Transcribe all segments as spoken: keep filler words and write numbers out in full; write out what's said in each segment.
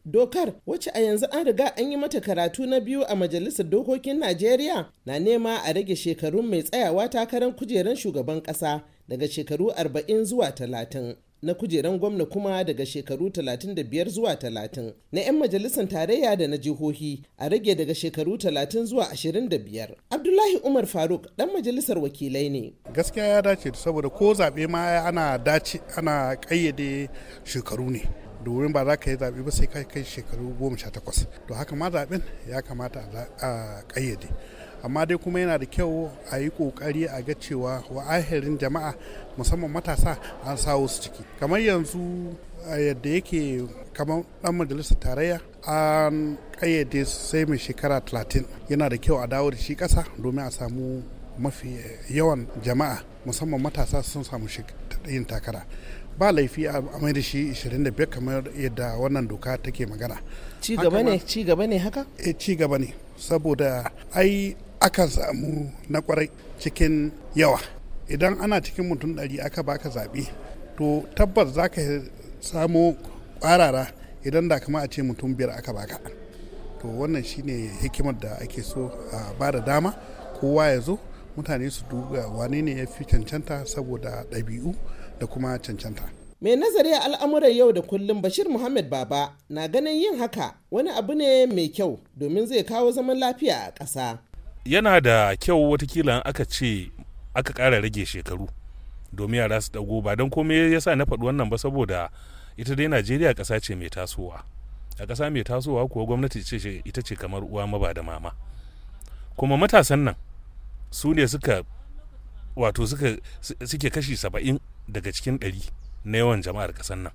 Dokar, wacce a yanzu an riga an yi mata karatu na biyu a Majalisar Dokokin Najeriya, na nema a rage shekarun mai tsayawa takarar kujerar shugaban ƙasa daga shekaru arba'in zuwa talatin. Na kujeran gwamna kuma daga shekaru talatin da biyar zuwa talatin. Na 'yan majalisar tarayya da na jihohi a rage daga shekaru talatin zuwa ashirin da biyar. Abdullahi Umar Faruk dan majalisar wakilai ne. Gaskiya ya dace, saboda ko zaɓe ma ana dace ana ƙayyade shekaru ne. Domin ba za ka yi zaɓe ba sai ka kai shekaru goma sha takwas. To haka ma zaɓen ya kamata a ƙayyade. Amma dai kuma yana da kyau a yi ƙoƙari a ga cewa wa'ahirin jama'a, musamman matasa, an sawo su ciki. Kamar yanzu yadda yake, kamar ɗan majalisar tarayya an ƙayyade sai mai shekara talatin. Yana da kyau a dawo da shi ƙasa domin a samu mafi yawan jama'a, musamman matasa, sun samu yin takara. Ba laifi a mai da shi ashirin da biyar kamar yadda wannan doka take magana. Ci gaba ne, ci gaba ne haka? E, ci gaba ne, saboda ai akan samu na kwarai cikin yawa. Idan ana cikin mutum ɗari aka baka zaɓe, to tabbas za ka samu ƙwarara idan da kama a ce mutum biyar aka baka. To wannan shine hikimar da ake so a ba da dama kowa ya zo, mutane su duba wane ne ya fi cancanta saboda ɗabi'u da kuma cancanta. Mai nazari a al'amuran yau da kullum, Bashir Muhammad Baba, na ganin yin haka wani abu ne mai kyau domin zai kawo zaman lafiya a ƙasa. Yana da kyau watakila aka ce aka ƙara rage shekaru domin yara su dago. Ba don komai ya sa na faɗi wannan ba, saboda ita dai Najeriya ƙasa ce mai tasowa. A ƙasa mai tasowa kuwa, gwamnati ce ita ce kamar uwa maba da mama, kuma matasan nan su ne suka wato suka suke kashi saba'in daga cikin ɗari na yawan jama'ar ƙasar nan.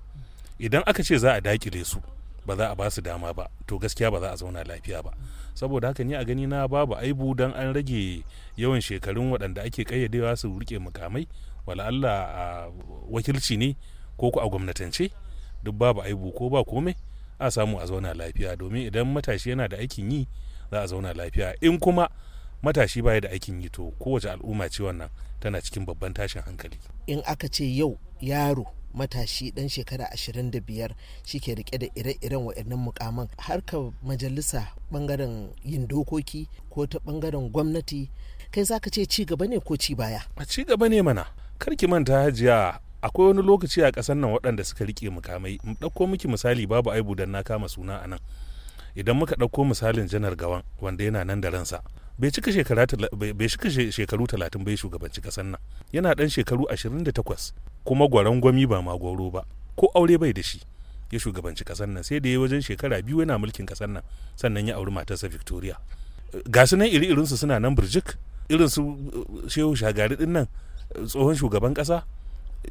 Idan aka ce za a dakile su, ba za a ba su dama ba, to gaskiya ba za a zauna lafiya ba. Saboda haka ni a gani na, babu aibu dan an rage yawan shekarun waɗanda ake ƙayyadewa su rike mukamai, wala Allah a wakilci ne ko ku a gwamnatance, duk babu aibu. Ko ba komai, a samu a zauna lafiya, domin idan matashi yana da aikin yi, za a zauna lafiya. In kuma matashi baya da aikin yi, to kowace al'umma ce wannan tana cikin babban tashin hankali. In aka ce yau yaro matashi dan shekara ashirin da biyar shi ke rike da ire-iren waɗannan mukaman, harkar majalisa, bangaren yin dokoki ko ta bangaren gwamnati, kai zaka ce ci gaba ne ko ci baya? A ci gaba ne mana. Kar ki manta, Hajiya, akwai wani lokaci a ƙasar nan waɗanda suka rike mukamai. Mu ɗauko miki misali, babu aibu dan na kama suna a nan. Idan muka ɗauko misalin Janar Gawan, wanda yana nan da ransa, bai cika shekara bai cika shekaru talatin bai shugabanci ƙasar nan. Yana ɗan shekaru ashirin da takwas, kuma gwaron gwami ba ma gwauro ba, ko aure bai da shi, ya shugabanci ƙasar nan. Sai da ya wajen shekara biyu yana mulkin ƙasar nan, sannan ya auri matarsa Victoria. Ga su nan, iri irinsu suna nan birjik, irin su Shehu Shagari din nan, tsohon shugaban ƙasa,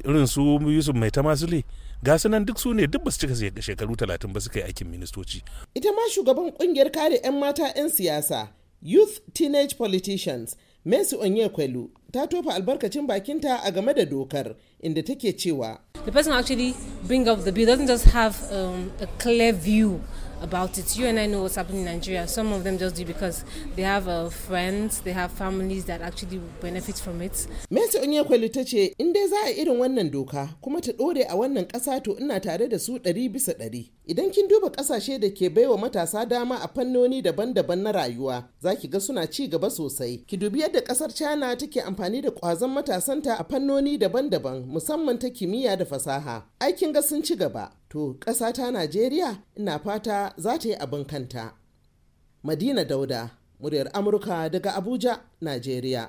irin su Yusuf Maitama Sule, ga su nan, duk su ne duk basu cika shekaru talatin ba suka yi aikin ministoci. Ita ma shugaban kungiyar kare 'yan mata 'yan siyasa, Youth Teenage Politicians, Mercy Onyekwelu, ta tofa albarkacin bakinta a game da dokar, inda take cewa: The person actually bring up the bill doesn't just have um, a clear view about it. You and I know what's happening in Nigeria. Some of them just do because they have uh, friends, they have families that actually benefit from it. Mercy Onyekwelu ta ce in dai za a irin wannan doka kuma ta ɗore a wannan ƙasa, to ina tare da su ɗari bisa ɗari. Idan kin duba ƙasashe da ke baiwa matasa dama a fannoni daban-daban na rayuwa, za ki ga suna ci gaba sosai. Ki dubi yadda ƙasar China take amfani da ƙwazon matasanta a fannoni daban-daban, musamman ta kimiyya da fasaha. Aikin ga sun ci gaba. To ƙasa ta Najeriya, ina fata za ta yi abin kanta. Madina Dauda, Muryar Amurka, daga Abuja, Najeriya.